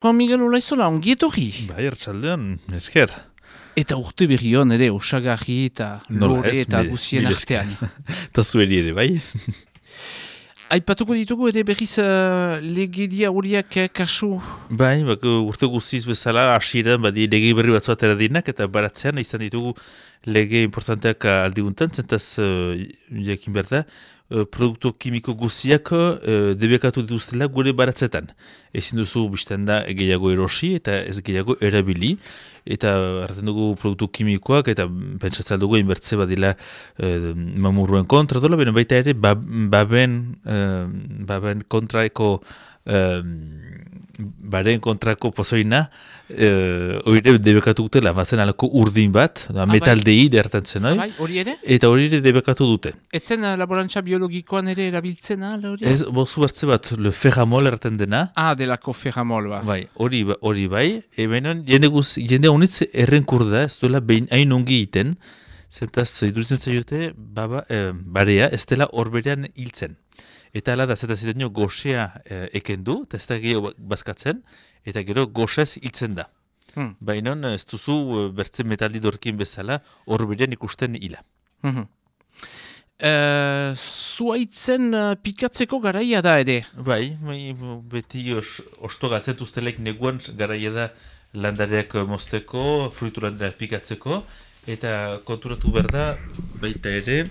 Juan Miguel Olaizola, ongi etorri. Bai, hartzaldean, esker. Eta urte berri hon ere, osagarri eta lore eta guzien artean. Eta zueri ere, bai? Aipatuko ditugu ere berriz legedia horiak kasu. Bai, urte guziz bezala, hasieran badi lege berri batzu atera dinak, eta baratzean izan ditugu lege importanteak aldiguntan, zentaz jakin behar da, produktu kimiko guziak debekatu dituztela gure baratzetan. Ezin duzu biztan da gehiago erosi eta ez gehiago erabili, eta hartzen dugu produktu kimikoak, eta pentsatzen dugu inbertze badila mamurruen kontra dola, beno baita ere baben kontraeko baren kontrako pozoina hori debekatu dutela, bazen alako urdin bat, metaldei dertantzen, hori ere? Eta hori ere debekatu dute. Etzen laborantza biologikoan ere erabiltzen hori? Ez, bozu bertze bat, le ferramol erten dena. Delako ferramol, ba. Bai, hori bai, ebenon jende honitz errenkur da, ez duela behin hain ongi iten, zentaz iduritzen zaiote, barea ez dela horberean hiltzen. Eta ala da, zetazitenio goxea ekendu, eta ez da gehiago bazkatzen, eta gero goxez hiltzen da. Baina ez duzu bertzen metaldi dorkin bezala horberean ikusten hila. Zuaitzen pikatzeko garaia da ere? Bai, beti osto galtzen duztelek neguan garaia da landareak mozteko, fruitu landareak pikatzeko, eta konturatu behar da, baita ere,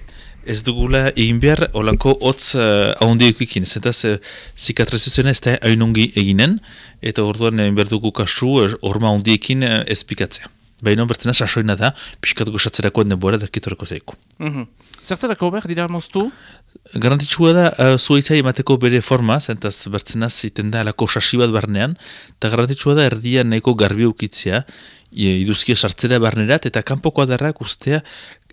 ez dugula egin behar olako hotz ahondiokikin, zetaz zikatrizazioa ez da hainongi eginen, eta orduan behar dugu kasu horma ahondiekin ez pikatzea. Baina bertzena sasoina da, pixkat gozatzerakoan denbora darkitoreko zaiku. Zertarako behar dira moztu? Garantitxua da zuaitzai emateko bere forma, zentaz bertzenaz iten da alako sasi bat barnean, eta garantitxua da erdia nahiko garbi eukitzea, iduzkia sartzera barnerat, eta kanpoko adarrak ustea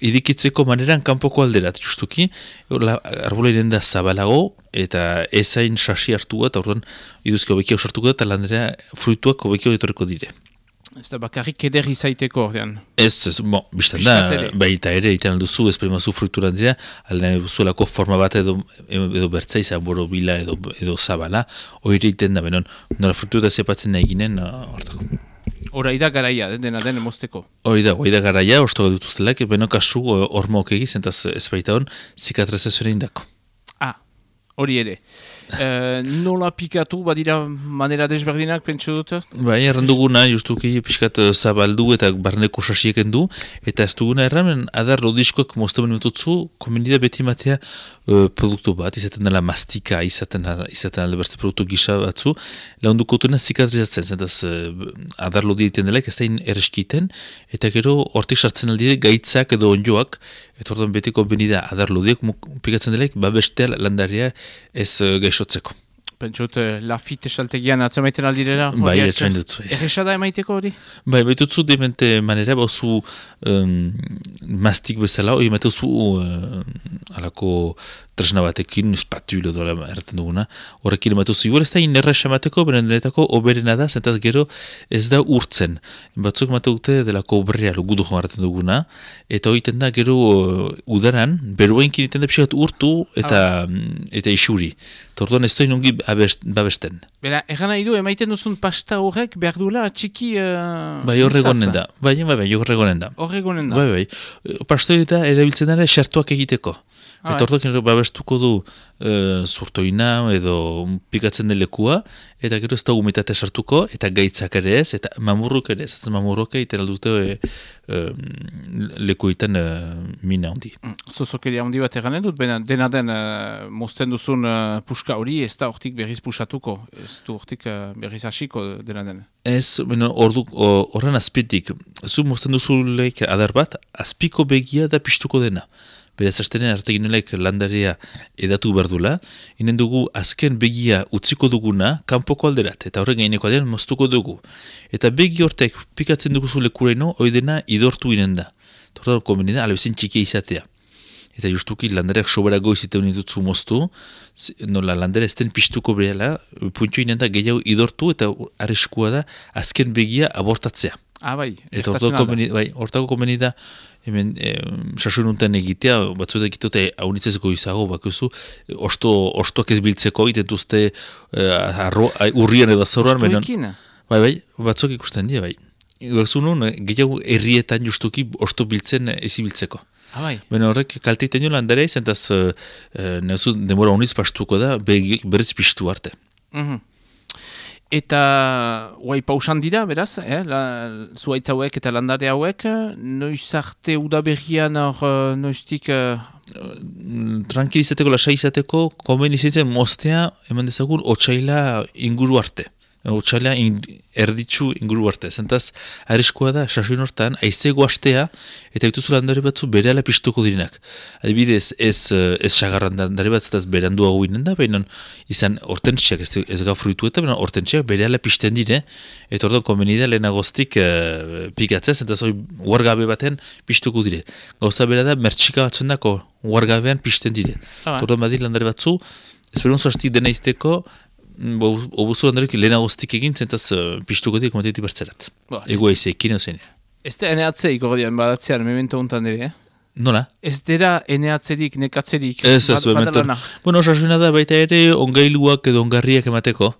idikitzeko maneran kanpoko alderat, justuki, arbola irenda zabalago, eta ezain sasi hartu eta orduan iduzkia hobekio sartuko da, eta landera fruituak hobekio etorreko dire. Ez da bakarrik eder izaiteko ordean. Ez, biztan da, baita ere, iten alduzu, espremazu fruituran dira, aldean zuelako forma bat edo bertza izan boro bila edo zabala, hori iten da, benon, nola fruitu da zepatzen nahi ginen, hortako. Hora da garaia, dena den mozteko. Hori da garaia, ostoga dituztelak, beno kasu hormoak egiz, entaz ez baita hon, zikatrizazioa indako. Hori ere. Nola pikatu, badira manera desberdinak, pentsu dut? Bai, erranduguna, justuki pixkat zabaldu eta barneko sasieken du, eta ez duguna erramen, adar lodiskoak moztamen metutzu, komenida beti matea produktu bat, izaten dela mastika, izaten alde bertze produktu gisa batzu, lahunduko dutena zikatrizatzen, zentaz adar lodi egiten dela, ez da erreskiten, eta gero hortik sartzen aldire gaitzak edo onjoak, eta orduan betiko benida adar lodiak pikatzen dela, babestea landaria ez gaixotzeko. Pentsut, lafite saltegian atzamaiten aldirera? Bai, etxain dutzu. Errexada emaiteko hori? Bai, baitutzu demente manera, bauzu mastik bezala, hori emaituzu alako tresna batekin, espatulo dola erraten duguna, horrekin emaituzu. Igual ez da inerrex emateko, benedetako oberena da, zentaz gero ez da urtzen. Batzuk emateute delako oberrea logudu joan erraten duguna, eta hori da gero udaran, beruenkin iten da pixat urtu eta isuri. Torduan ez da inongi babesten. Bera, egan nahi du, emaiten duzun pasta horrek behar duela txiki... Bai, horregonen da. Bai, horregonen da. Horregonen da. Bai. Pastoira erabiltzen dara xertuak egiteko. Eta orduak babestuko du zurtoina edo pikatzen den lekua, eta gero ez da humitatea sartuko, eta gaitzak ere ez, eta mamurruk ere ez. Mamurruk egiten aldute lekuetan mina handi. Zozokeria handi bat eganen dut, dena den mozten duzun puska hori, ez da hortik berriz pusatuko, ez du hortik berriz hasiko dena den. Ez, horren azpitik, zu mozten duzulek adar bat, azpiko begia da piztuko dena. Beraz, astenen arteginelek landaria edatu berdula, inen dugu azken begia utziko duguna kanpoko alderat, eta horren gaineko aldean moztuko dugu. Eta begi hortek pikatzen duguzu lekuraino, oidena idortu inen da. Torda konbenida, alabezin txikia izatea. Eta justuki landareak soberago izite honitutzu moztu, nola landare ezten piztuko bereala, puntio inen da gehiago idortu, eta arriskua da azken begia abortatzea. Bai, eta hortako konbenida, hemen sasununtan egitea, batzuetak egitote haunitzezeko izago, bakuzu, ostoak ez biltzeko, egiten duzte urrian edo azauruan. Ostoekin? Bai, batzuk ikusten dira, bai. Zunun, gehiago herrietan justuki osto biltzen ezibiltzeko. Bai. Beno horrek kalteiten jo landare izan, entaz demora honiz pastuko da, begiek berriz piztu arte. Eta guai pausan dira, beraz, zuaitz hauek eta landare hauek, noiz arte udaberrian hor noiztik... Tranquilizateko, lasai izateko, komen izatzen mostea, eman dezagun, otsaila inguru arte. Otsaila erditzu inguru arte. Zentaz, arriskoa da, sasoin hortan, aizego astea, eta bituzu landare batzu berehala piztuko direnak. Adibidez, ez sagarran landare bat, zentaz berandu hau inen da, baina izan hortentsiak, ez ga fruitu eta, baina hortentsiak berehala pizten dire, eta orduan konbenida lehenagoztik pikatzea, zentaz hori uargabe baten piztuko dire. Gauza bera da, mertxika batzundako uargabean pizten dire. Orduan badi landare batzu, esperonzu hastik dena izteko, obuzu landarek lehenagoztik egin, zentaz piztuko dira komentetik bertzerat. Ego eizekin ozen. Ez da eneatzea ikordian badatzean, memento hontan ere, Nola? Ez dira eneatzerik, nekatzerik. Ez, bueno, osasuna da baita ere ongailuak edo ongarriak emateko.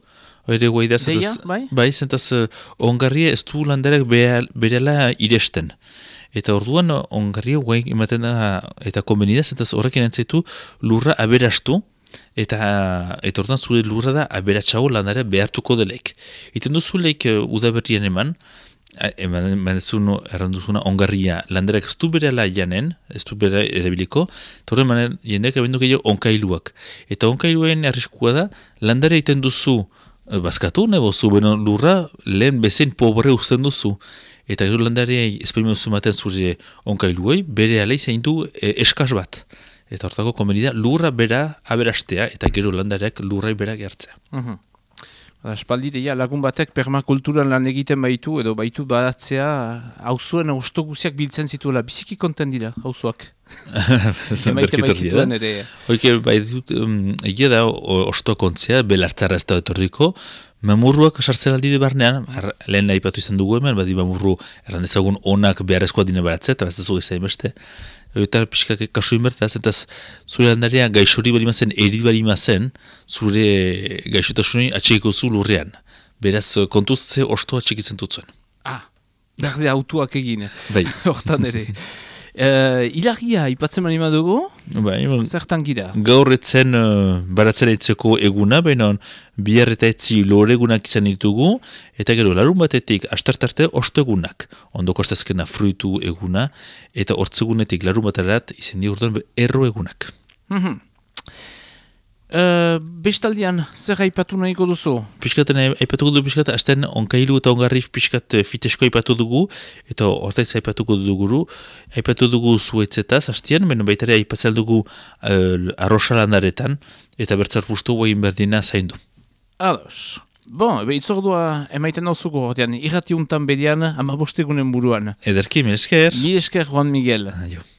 Ere guai da, Deia, bai? Bai, zentaz ongarria ez du landarak berela iresten. Eta orduan ongarria guai ematen da, eta konbenida, zentaz horrekin entzaitu lurra aberastu, eta orduan zure lurra da aberatxago landare behartuko deleik. Iten duzuleik udaberrian eman duzun erranduzuna ongarria landarak ez du berela janen, ez du bera erabiliko, eta orduan jendeak abendu gehiago onkailuak. Eta onkailuen arriskua da, landare iten duzu bazkatu, nebozu, beno lurra lehen bezen pobre uzten duzu. Eta gero landare esperimentu maten zure onkailuei, bere alei zein du eskaz bat. Eta hortako konbenida lurra bera aberastea eta gero landareak lurrai bera gertzea. Espaldi deia lagun batek permakulturan lan egiten baitu edo baitu badatzea hauzuen osto guziak biltzen zituela. Biziki konten dira hauzuak. Emaite baitzituen ere. Hoike bai dut egia da osto kontzea belartzara ez da etorriko. Mamurruak sartzen aldide barnean, lehen aipatu izan dugu hemen, badi mamurru errandezagun onak beharrezkoa dine baratzea, eta beztazu gezain beste. Eta pixkak kasu inbertaz, eta zure landaria gaixori bali mazen, eri bali mazen, zure gaixotasunei atxekiko zu lurrean. Beraz, kontuz ze osto atxekitzen dutzuen. Berde autuak egin, bai. Hortan ere. Ilagia, ipatzen manima dugu? Bai, zertan gira? Gaur etzen baratzera etzeko eguna, baina bihar eta etzi loregunak izan ditugu, eta gero larun batetik astartarte osto egunak. Ondoko astazkena fruitu eguna, eta hortzegunetik larun baterat izan di urduan erro egunak. Bestaldian, zer aipatu nahiko duzu? Piskaten aipatuko dugu piskat, hasten onkailu eta ongarrif piskat fitesko aipatu dugu, eta hortaiz aipatuko dugu, aipatu dugu zuetzetaz, hastian, beno baitare aipatzen dugu arrosalandaretan, eta bertzar bustu guain berdina zaindu. Ados. Bon, itzordua emaiten dauzuko horrean, irratiuntan bedian, 15 buruan. Ederki, mil esker. Mil esker, Juan Miguel. Aio.